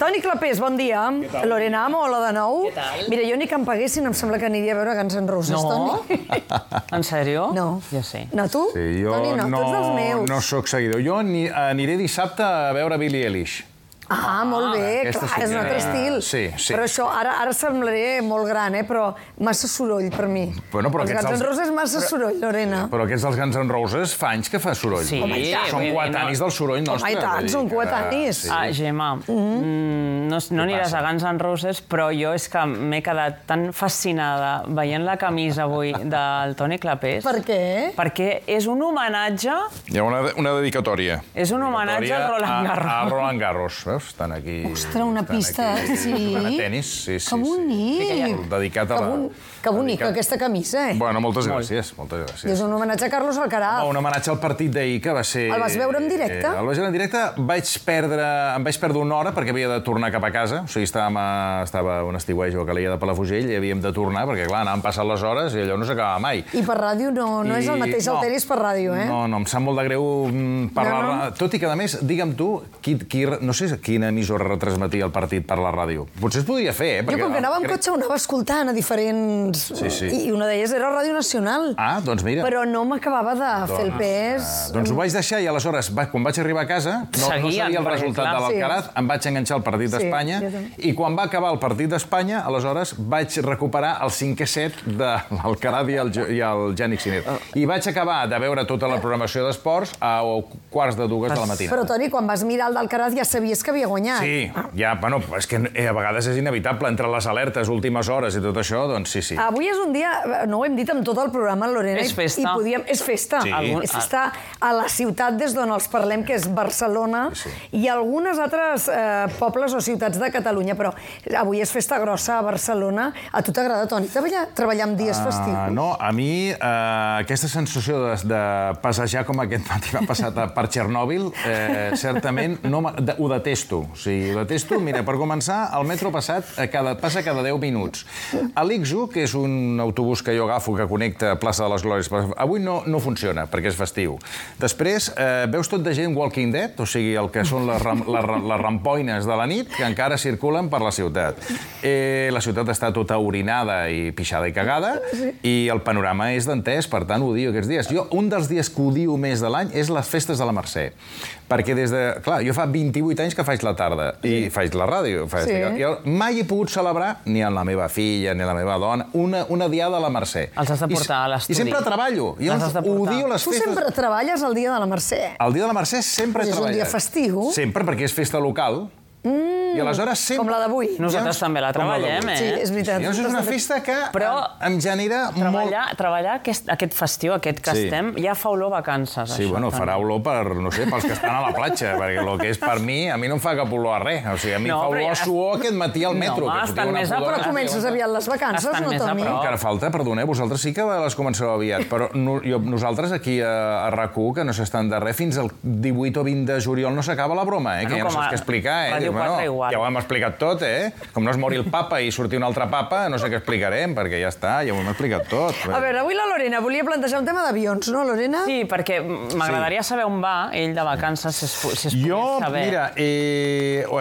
Toni Clapés, bon dia. Lorena Amo, hola de nou. Què tal? Mira, jo ni que em paguessin em sembla que aniria a veure Guns N' Roses, Toni. En sèrio? No. Jo sí. No, tu? Sí, jo Toni, no, tu ets dels meus. no sóc seguidor. Jo aniré dissabte a veure Billie Eilish. Ah, molt bé, aquesta clar, sí és un que- altre estil. Sí. Però això, ara semblaré molt gran, però massa soroll per mi. Bueno, però Els aquests Guns N' els- Roses massa soroll, Lorena. Però aquests dels Guns N' Roses fa anys que fa soroll. Sí. Home, i tant. Són coetanis del soroll nostre. Home, i tant, vull dir són que- coetanis. sí. Ah, Gemma, no aniràs a Guns N' Roses, però jo és que m'he quedat tan fascinada veient la camisa avui del Toni Clapés. Per què? Perquè és un homenatge... Hi ha una dedicatòria. És un homenatge al Roland Garros. A Roland Garros, veus? Estan aquí... Ostres, una pista, sí. A tenis, sí. Que bonic. Dedicat a la... Que bonica aquesta camisa, Bueno, moltes gràcies, moltes gràcies. És un homenatge a Carlos Alcaraz. Un homenatge al partit d'ahir, que va ser... El vas veure en directe? El vaig veure en directe. Em vaig perdre una hora perquè havia de tornar cap a casa. O sigui, estava un estiueig o calia de Palafrugell i havíem de tornar perquè, clar, anàvem passant les hores i allò no s'acabava mai. I per ràdio no és el mateix el tenis per ràdio, eh? No, em sap molt de greu parlar... No. Tot i que, a més, digue'm tu, no sé quina emissora retransmetia el partit per la ràdio. Potser es podria fer, eh? Jo, com que anava amb cotxe, ho anava escoltant a diferents... Sí. I una d'elles era Ràdio Nacional. Ah, doncs mira. Però no m'acabava de fer el pes... Doncs ho vaig deixar i aleshores, quan vaig arribar a casa, no sabia el resultat de l'Alcaraz, em vaig enganxar al partit d'Espanya i quan va acabar el partit d'Espanya, aleshores vaig recuperar el 5è set de l'Alcaraz i el Jannik Sinner. I vaig acabar de veure tota la programació d'esports a 1:45 de la matina. Però, Toni, quan vas mirar el d'Alcaraz ja sabies que havia guanyat. Sí, ja, bueno, és que a vegades és inevitable, entre les alertes, últimes hores i tot això, doncs sí. Avui és un dia, no ho hem dit amb tot el programa, Lorena, És festa. És festa. Sí. És festa a la ciutat des d'on els parlem, que és Barcelona, i algunes altres pobles o ciutats de Catalunya, però avui és festa grossa a Barcelona. A tu t'agrada, Toni, treballar en dies festius? No, a mi aquesta sensació de passejar com aquest matí m'ha passat per Txernòbil, certament ho detesto. O sigui, ho detesto. Mira, per començar, el metro passa cada 10 minuts. A l'Ixo, que és un autobús que jo agafo que connecta Plaça de les Glòries, avui no funciona perquè és festiu. Després, veus tot de gent Walking Dead, o sigui, el que són les rampoines de la nit, que encara circulen per la ciutat. La ciutat està tota orinada i pixada i cagada, i el panorama és dantès, per tant, ho odio aquests dies. Un dels dies que odio més de l'any és les festes de la Mercè. Perquè clar, jo fa 28 anys que faig la tarda i faig la ràdio. Mai he pogut celebrar, ni amb la meva filla, ni la meva dona, una diada a la Mercè. Els has de portar a l'estudi. I sempre treballo. Jo odio les festes... Tu sempre treballes el dia de la Mercè. El dia de la Mercè sempre he treballat. És un dia festiu. Sempre, perquè és festa local. I aleshores sempre... Com la d'avui. Nosaltres també la treballem, Sí, és veritat. És una festa que em genera molt... Treballar aquest festiu, aquest que estem, ja fa olor vacances, Sí, bueno, farà olor pels que estan a la platja, perquè el que és per mi, a mi no em fa cap olor a res. O sigui, a mi fa olor a suor aquest matí al metro. No, estan més a prop. Però comences aviat les vacances, no, Toni? Encara falta, perdoneu, vosaltres sí que les comenceu aviat, però nosaltres aquí a RAC1, que no s'estan de res, fins al 18 o 20 de juliol no s'acaba la broma, que ja no saps què explicar, ja ho hem explicat tot, Com no es mori el papa i surti un altre papa, no sé què explicarem, perquè ja està, ja ho hem explicat tot. A veure, avui la Lorena volia plantejar un tema d'avions, no, Lorena? Sí, perquè m'agradaria saber on va ell de vacances, si es pogués saber. Mira,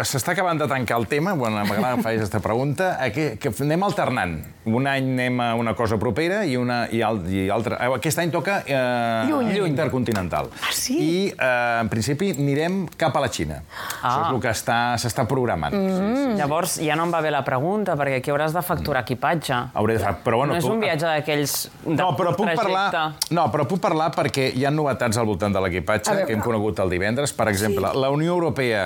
s'està acabant de tancar el tema, bueno, m'agrada que facis aquesta pregunta, que anem alternant. Un any anem a una cosa propera i altra. Aquest any toca intercontinental. Ah, sí? I, en principi, anirem cap a la Xina. Això és el que s'està programant. Llavors, ja no em va bé la pregunta, perquè aquí hauràs de facturar equipatge. Hauré de fer, però bueno... No és un viatge d'aquells de trajecte. No, però puc parlar perquè hi ha novetats al voltant de l'equipatge que hem conegut el divendres. Per exemple, la Unió Europea,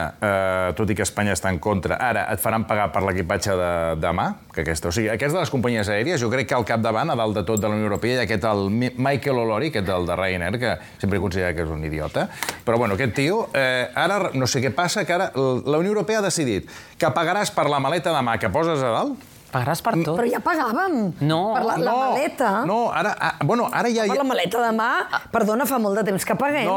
tot i que Espanya està en contra, ara et faran pagar per l'equipatge de mà, que o sigui, aquests de les companyies aèries, jo crec que al capdavant, a dalt de tot de la Unió Europea, hi ha aquest el Michael O'Leary, aquest del de Ryanair, que sempre he considerat que és un idiota, però bueno, aquest tio, ara no sé què passa, que ara la Unió Europea ha decidit que pagaràs per la maleta de mà que poses a dalt, Pagaràs per tot. Però ja pagàvem. No. Per la maleta. No, ara ja... Per la maleta de mà, perdona, fa molt de temps que paguem.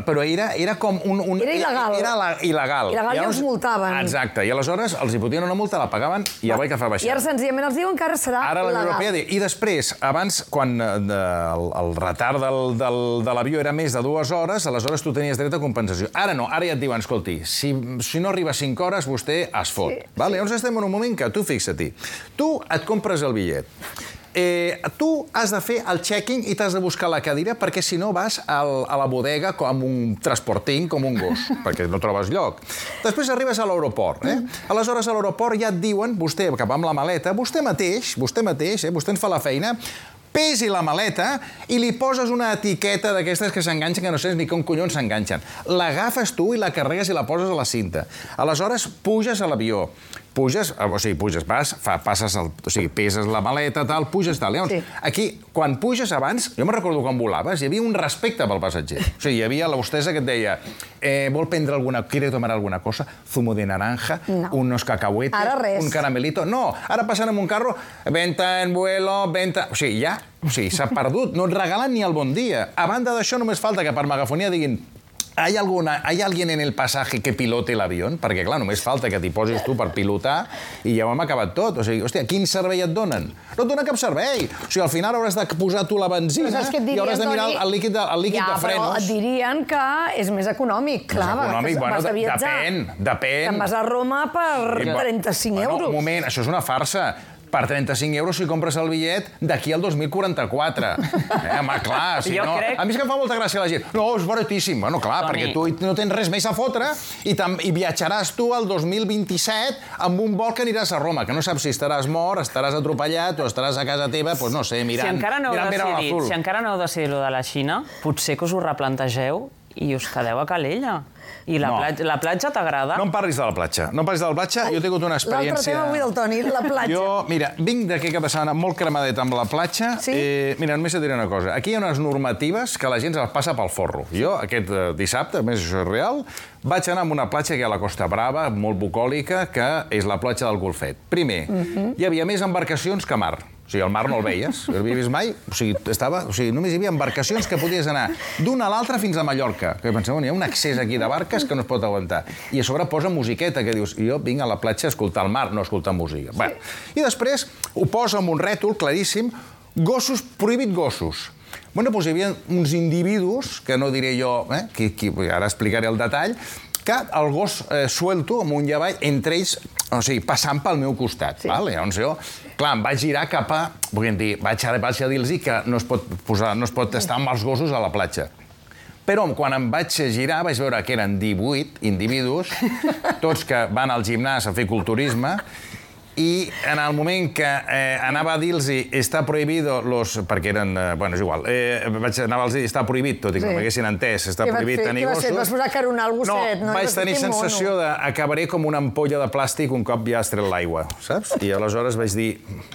Però era com un... Era il·legal. Era il·legal. Il·legal i els multaven. Exacte, i aleshores els hi fotien una multa, la pagaven i ja vaig que fa baixar. I ara senzillament els diuen que ara serà legal. Ara la Unió Europea diu... I després, abans, quan el retard de l'avió era més de 2 hores, aleshores tu tenies dret a compensació. Ara no, ara ja et diuen, escolti, si no arriba 5 hores, vostè es fot. Llavors estem en un moment que tu, fixa-t'hi, tu et compres el bitllet. Tu has de fer el check-in i t'has de buscar la cadira perquè si no vas a la bodega com un transporting, com un gos, perquè no trobes lloc. Després arribes a l'aeroport. Aleshores, a l'aeroport ja et diuen, vostè, que va amb la maleta, vostè mateix, vostè ens fa la feina, pesi la maleta i li poses una etiqueta d'aquestes que s'enganxen, que no saps ni com collons s'enganxen. L'agafes tu i la carregues i la poses a la cinta. Aleshores, puges a l'avió. Peses la maleta, tal, puges, tal. Aquí, quan puges abans, jo me'n recordo quan volaves, hi havia un respecte pel passatger. O sigui, hi havia l'hostessa que et deia vol prendre alguna... ¿Quiere tomar alguna cosa? Zumo de naranja, unos cacahuetes, un caramelito... No, ara passen amb un carro, venta en vuelo, venta... O sigui, ja, s'ha perdut, no et regalen ni el bon dia. A banda d'això, només falta que per megafonia diguin ¿hay alguien en el pasaje que pilote l'avió? Perquè, clar, només falta que t'hi posis tu per pilotar i ja ho hem acabat tot. O sigui, hòstia, quin servei et donen? No et donen cap servei. O sigui, al final hauràs de posar tu la benzina i hauràs de mirar el líquid de frenos. Ja, però et dirien que és més econòmic. Clar, vas de viatjar. Depèn. Te'n vas a Roma per 35 euros. Un moment, això és una farsa. Per 35 euros si compres el bitllet d'aquí al 2044. Home, clar, si no... A mi és que em fa molta gràcia la gent. No, és baratíssim. Bueno, clar, perquè tu no tens res més a fotre i viatjaràs tu al 2027 amb un vol que aniràs a Roma, que no saps si estaràs mort, estaràs atropellat o estaràs a casa teva, doncs no sé, mirant... Si encara no heu decidit lo de la Xina, potser que us ho replantegeu i us quedeu a Calella. I la platja t'agrada? No em parlis de la platja. Jo he tingut una experiència... L'altre tema avui del Toni, la platja. Jo, mira, vinc d'aquest cap de setmana molt cremadet amb la platja. Mira, només et diré una cosa. Aquí hi ha unes normatives que la gent es passa pel forro. Jo, aquest dissabte, a més això és real, vaig anar a una platja que hi ha a la Costa Brava, molt bucòlica, que és la platja del Golfet. Primer, hi havia més embarcacions que mar. O sigui, el mar no el veies, no l'havia vist mai. O sigui, només hi havia embarcacions que podies anar d'una a l'altra fins a Mallorca. Que penseu, hi ha un accés aquí de barques que no es pot aguantar. I a sobre posa musiqueta, que dius, jo vinc a la platja a escoltar el mar, no a escoltar música. I després ho posa amb un rètol claríssim, gossos, prohibit gossos. Bueno, doncs hi havia uns individus, que no diré jo, ara explicaré el detall, que el gos suelto amb un llavall, entre ells, o sigui, passant pel meu costat. Llavors jo, clar, em vaig girar cap a... Vaig a dir-los que no es pot estar amb els gossos a la platja. Però quan em vaig girar vaig veure que eren 18 individus, tots que van al gimnàs a fer culturisme, i en el moment que anava a dir-los està prohibido los... perquè eren... Bueno, és igual. Anava a dir està prohibit, tot i que no m'haguessin entès. Està prohibit tenir gossos. Què vas posar a caronar el gosset? No, vaig tenir sensació d'acabaré com una ampolla de plàstic un cop ja has tret l'aigua, saps? I aleshores vaig dir...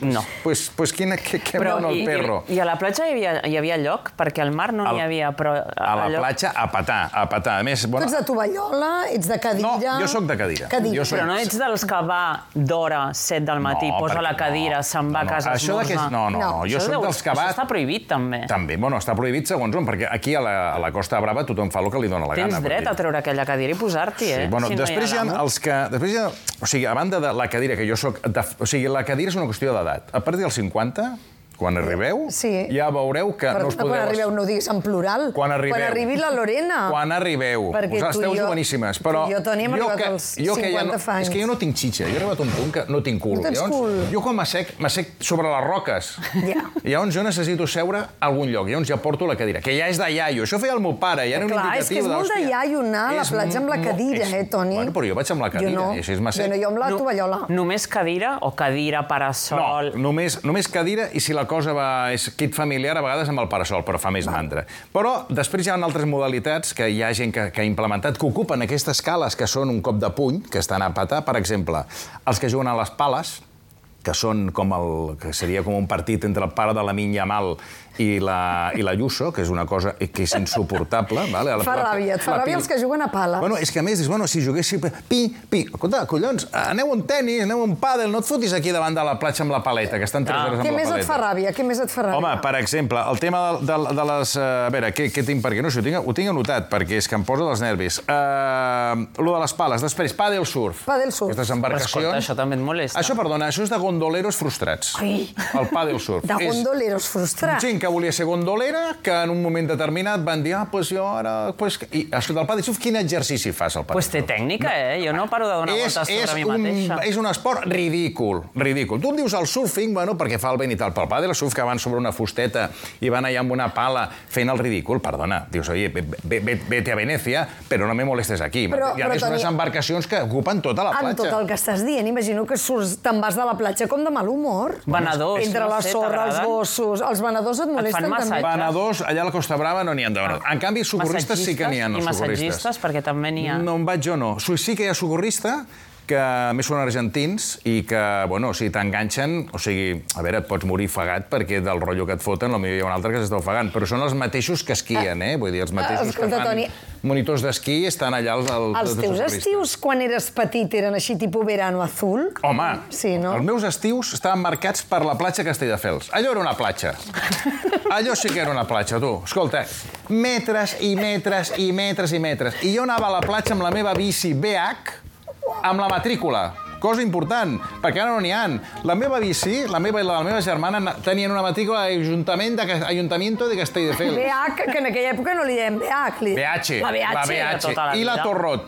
No. Pues què mou el perro? I a la platja hi havia lloc? Perquè al mar no n'hi havia, però... A la platja, a petar. A més... Tu ets de tovallola? Ets de cadira? No, jo sóc de cadira. Però no ets dels que va d'hora 7 del matí, posa la cadira, se'n va a casa a esmorzar. No, jo soc dels que va... Això està prohibit, també. També, bueno, està prohibit segons on, perquè aquí a la Costa Brava tothom fa el que li dona la gana. Tens dret a treure aquella cadira i posar-t'hi, eh? Sí, bueno, després hi ha els que... O sigui, a banda de la cadira, que jo soc... O sigui, la cadira és una qüestió d'edat. A partir dels 50... Quan arribeu, ja veureu que no us podeu... Quan arribeu, no ho diguis en plural. Quan arribi la Lorena. Quan arribeu. Esteu joveníssimes, però... Jo, Toni, hem arribat als 50 anys. És que jo no tinc xitxa. Jo he arribat a un punt que no tinc cul. No tens cul. Jo quan m'assec sobre les roques. Llavors jo necessito seure a algun lloc. Llavors ja porto la cadira, que ja és de iaio. Això feia el meu pare, ja era un indicatiu. És que és molt de iaio anar a la platja amb la cadira, Toni? Bueno, però jo vaig amb la cadira, i així és m'assec. Jo amb la tovallola. Només cadira o cadira, parasol? No, només cadira, i si la cosa va... kit familiar, a vegades amb el parasol, però fa més mandra. Però després hi ha altres modalitats que hi ha gent que ha implementat, que ocupen aquestes cales que són un cop de puny, que estan a petar. Per exemple, els que juguen a les pales, que són que seria com un partit entre el pare de Lamine Yamal i la Ayuso, que és una cosa que és insuportable. Vale? Fa ràbia, et fa ràbia els que juguen a pala. Bueno, és que a més, si juguéssim... Escolta, collons, aneu a un tenis, aneu a un pàdel, no et fotis aquí davant de la platja amb la paleta, que estan 3 hores amb la paleta. Què més et fa ràbia? Què més et fa ràbia? Home, per exemple, el tema de les... A veure, què tinc per aquí? No sé, ho tinc anotat, perquè és que em posa dels nervis. Lo de les pales. Després, pàdel surf. Pàdel surf. Aquestes embarcacions... Però escolta, això també et molesta. Això, perdona, això és de gondoleros frustrats. Ai. El pàdel surf. De gondoleros frustrats. Gent que volia ser gondolera, que en un moment determinat van dir, pues jo ara... I escolta, el pàdel surf, quin exercici fas, el pàdel surf? Pues té tècnica, Jo no paro de donar voltes sobre mi mateixa. És un esport ridícul. Tu em dius el surfing, bueno, perquè fa el vent i tal, però el pàdel surf que van sobre una fusteta i van allà amb una pala fent el ridícul, perdona, dius, oye, vete a Venècia, però no me molestes aquí. Hi ha més unes embarcacions que ocupen tota la platja. Amb tot el que estàs dient, imagino que te'n vas de la platja com de mal humor. Venedors, entre la sorra, els gossos... Els venedors et molesten també. Venedors, allà a la Costa Brava no n'hi ha de venedors. En canvi, socorristes sí que n'hi ha, no socorristes. I massatgistes, perquè també n'hi ha. No en vaig jo, no. Sí que hi ha socorrista, que a més són argentins i que, bueno, o sigui, t'enganxen, o sigui, a veure, et pots morir ofegat perquè del rotllo que et foten, potser hi ha un altre que s'està ofegant, però són els mateixos que esquien, Vull dir, els mateixos que fan monitors d'esquí estan allà Els teus estius, quan eres petit, eren així tipus verano azul? Home, sí, no? Els meus estius estaven marcats per la platja Castelldefels. Allò era una platja. Allò sí que era una platja, tu. Escolta, metres i metres i metres i metres. I jo anava a la platja amb la meva bici BH, amb la matrícula. Cosa important, perquè ara no n'hi ha. La meva bici, la meva i la de la meva germana, tenien una matrícula d'Ajuntamiento de Castelldefels. BH, que en aquella època no li dèiem BH. BH. La BH. I la Torrot.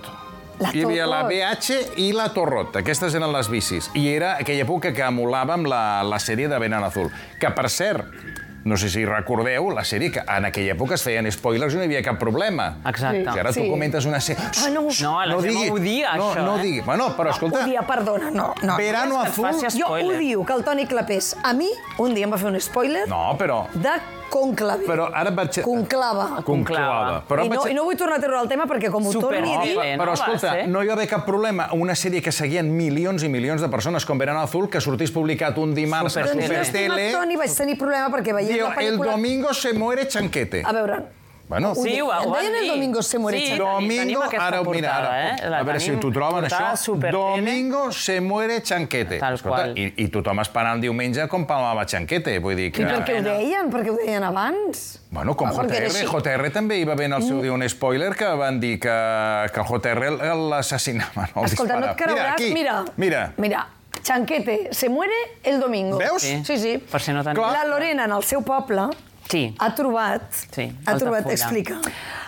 Hi havia la BH i la Torrot. Aquestes eren les bicis. I era aquella època que emulàvem la sèrie de Verano Azul. Que, per cert, no sé si recordeu, la sèrie que en aquella època es feien spoilers i no hi havia cap problema. Exacte. Si ara tu comentes una sèrie... No, la Gemma odia això, No digui. Bueno, però escolta... Odia, perdona, no. Verano Azul... Jo odio que el Toni Clapés, a mi, un dia em va fer un spoiler... No, però... de Conclave. Però ara vaig... Conclava. I no vull tornar a treure el tema perquè com ho torni a dir... Però escolta, no hi va haver cap problema. Una sèrie que seguien milions i milions de persones com Verano Azul, que sortís publicat un dimarts a Supertele... Toni, vaig tenir problema perquè veient la pel·lícula... El domingo se muere Chanquete. A veure... Bueno, sí, ho van dir. El domingo se muere Chanquete. Domingo, ara, mira, a veure si t'ho troben, això. Domingo se muere Chanquete. Tal qual. I tothom esperant diumenge com palmava Chanquete. Vull dir que... I per què ho deien? Per què ho deien abans? Bueno, com JR. JR també hi va haver en el seu dia un spoiler que van dir que el JR l'assassinava. Escolta, no et creuràs? Mira. Chanquete se muere el domingo. Veus? Sí. Per si no tenia... La Lorena, en el seu poble... Sí. Ha trobat, explica.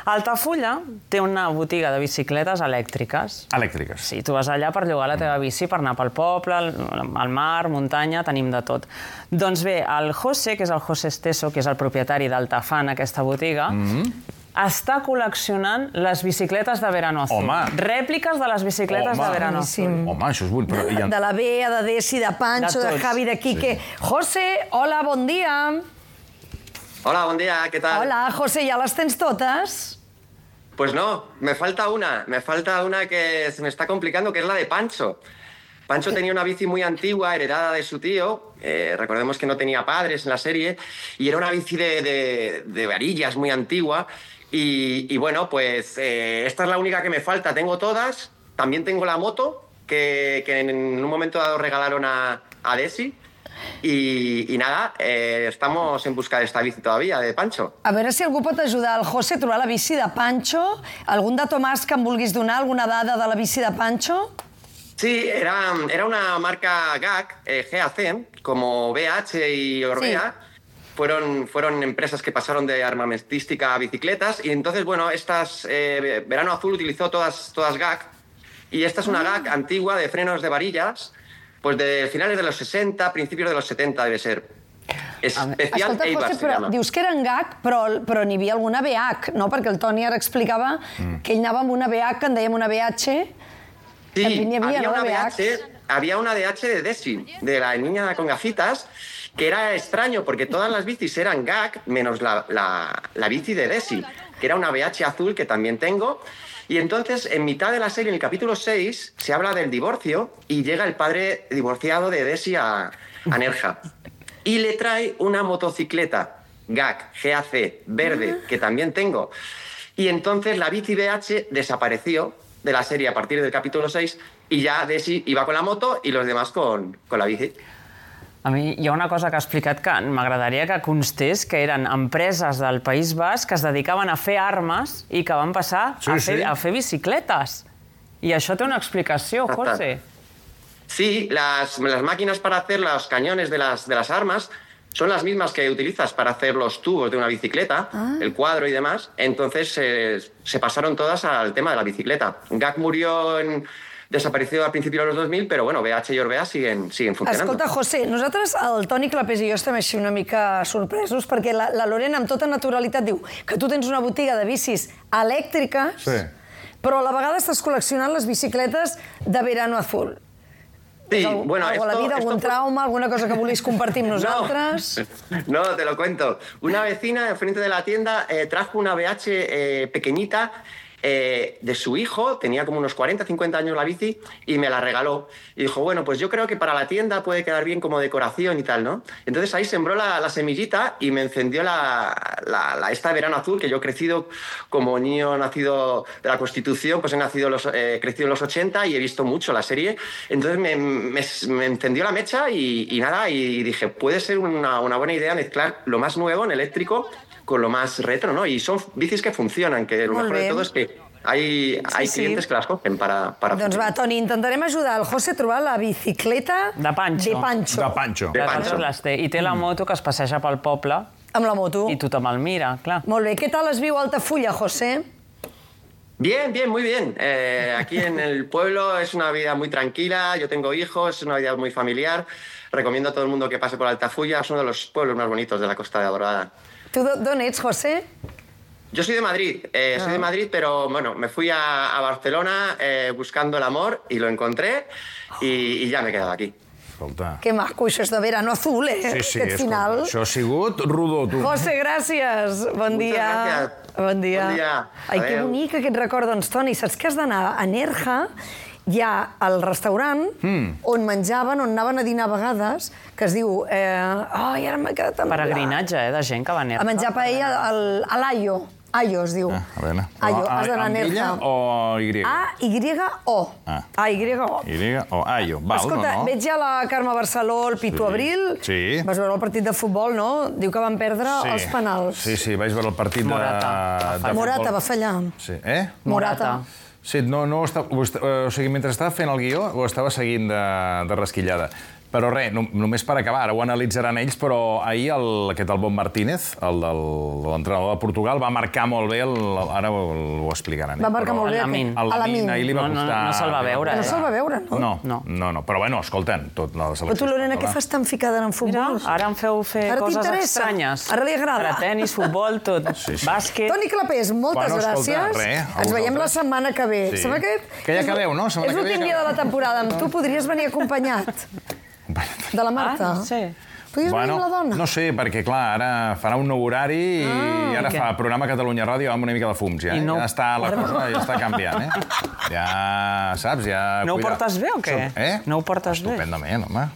Altafulla té una botiga de bicicletes elèctriques. Elèctriques. Sí, tu vas allà per llogar la teva bici, per anar pel poble, al mar, muntanya, tenim de tot. Doncs bé, el José, que és el José Esteso, que és el propietari d'Altafan, aquesta botiga, està col·leccionant les bicicletes de Verano Azul. Home! Rèpliques de les bicicletes de Verano Azul. Home, això és bull. De la Bea, de Desi, de Pancho, de Javi, de Quique. José, hola, bon dia. Hola, buen día, ¿qué tal? Hola, José, ¿ya las tens todas? Pues no, me falta una que se me está complicando, que es la de Pancho. Pancho tenía una bici muy antigua, heredada de su tío, recordemos que no tenía padres en la serie, y era una bici de varillas muy antigua, y bueno, pues esta es la única que me falta, tengo todas, también tengo la moto, que en un momento dado regalaron a Desi, i nada, estamos en busca de esta bici todavía, de Pancho. A veure si algú pot ajudar el José a trobar la bici de Pancho. Algun dato más que em vulguis donar? Alguna dada de la bici de Pancho? Sí, era una marca GAC, como BH y Orbea. Sí. Fueron empresas que pasaron de armamentística a bicicletas y entonces, bueno, Verano Azul utilizó todas GAC y esta es una GAC antigua de frenos de varillas, pues de finales de los 60, principios de los 70 debe ser. Especial Eibar se llama. Dius que eren GAC, però n'hi havia alguna BH, no? Perquè el Toni ara explicava que ell anava amb una BH, que en dèiem una BH. Sí, había una BH de Desi, de la niña con gafitas, que era extraño porque todas las bicis eran GAC, menos la bici de Desi, que era una BH azul que también tengo. Y entonces, en mitad de la serie, en el capítulo 6, se habla del divorcio y llega el padre divorciado de Desi a Nerja. Y le trae una motocicleta GAC, verde, que también tengo. Y entonces la bici BH desapareció de la serie a partir del capítulo 6 y ya Desi iba con la moto y los demás con la bici. A mi hi ha una cosa que ha explicat que m'agradaria que constés, que eren empreses del País Basc que es dedicaven a fer armes i que van passar a fer bicicletes. I això té una explicació, José. Sí, las máquinas para hacer los cañones de las armas son las mismas que utilizas para hacer los tubos de una bicicleta, el cuadro y demás. Entonces se pasaron todas al tema de la bicicleta. GAC desapareció al principi dels 2000, però bueno, BH i Orbea siguen funcionant. Escolta, José, nosaltres, el Toni Clapés i jo estem així una mica sorpresos perquè la Lorena amb tota naturalitat diu que tu tens una botiga de bicis elèctriques, però a la vegada estàs col·leccionant les bicicletes de Verano Azul. Sí, bueno, algo a la vida, algún trauma, alguna cosa que volís compartir amb nosaltres? No, te lo cuento. Una vecina enfrente de la tienda trajo una BH pequeñita de su hijo, tenía como unos 40, 50 años la bici, y me la regaló. Y dijo, bueno, pues yo creo que para la tienda puede quedar bien como decoración y tal, ¿no? Entonces ahí sembró la semillita y me encendió esta Verano Azul, que yo he crecido como niño nacido de la Constitución, pues he crecido en los 80 y he visto mucho la serie. Entonces me encendió la mecha y nada, y dije, puede ser una buena idea mezclar lo más nuevo en eléctrico con lo más retro, ¿no? Y son bicis que funcionan, que lo mejor de todo es que hay clientes que las cogen para Doncs va, Toni, intentarem ajudar el José a trobar la bicicleta de Pancho. De Pancho. I té la moto que es passeja pel poble. Amb la moto. I tothom el mira, clar. Molt bé. Què tal es viu a Altafulla, José? Bien, muy bien. Aquí en el pueblo es una vida muy tranquila, yo tengo hijos, es una vida muy familiar. Recomiendo a todo el mundo que pase por Altafulla, es uno de los pueblos más bonitos de la Costa de Dorada. Tu d'on ets, José? Yo soy de Madrid, pero bueno, me fui a Barcelona buscando el amor y lo encontré y ya me he quedado aquí. Escolta. Que maco, això és de Verano Azul, eh? Sí, Aquest final. Això ha sigut rodó, tu. José, gràcies. Bon dia. Bon dia. Bon dia. Ai, que bonic aquest record. Doncs, Toni, saps que has d'anar a Nerja? Hi ha el restaurant on menjaven, on anaven a dinar a vegades, que es diu... Ai, ara m'ha quedat amb... Peregrinatge, de gent que va a Nerja. A menjar paella a l'Aio. Aio es diu. A veure. Aio, has d'anar a Nerja. Amb illa o Y? A-Y-O. A-Y-O. Y-O. Aio. Val, Escolta, no? veig ja la Carme Barceló, el Pitu Abril. Sí. Vas veure el partit de futbol, no? Diu que van perdre els penals. Sí, vaig veure el partit de futbol. Morata va fallar. Sí. Morata. Sí, no o sigui, mentre estava fent el guió ho estava seguint de rasquillada. Però res, només per acabar, ara ho analitzaran ells, però ahir aquest Albon Martínez, l'entrenador de Portugal, va marcar molt bé, ara ho explicaran. Va marcar molt bé. A Lamine, ahir li va costar... No se'l va veure. No se'l va veure, no? No, però bueno, escolten, tot la selecció. Però tu, Lorena, què fas tan ficada en futbol? Mira, ara em feu fer coses estranyes. Ara li agrada. Ara tenis, futbol, tot. Bàsquet... Toni Clapés, moltes gràcies. Ens veiem la setmana que ve. Sembla que ja acabeu, no? És l'últim dia de la temporada. Amb tu podries venir acompanyat. De la Marta? Sí. Podries venir amb la dona? No sé, perquè clar, ara farà un nou horari i ara fa programa Catalunya Ràdio amb una mica de fums, ja. Ja està la cosa, ja està canviant, eh? Ja, saps, ja... No ho portes bé o què? No ho portes bé? Estupendament, home.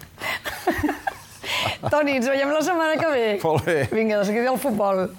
Toni, ens veiem la setmana que ve. Molt bé. Vinga, de seguida al futbol.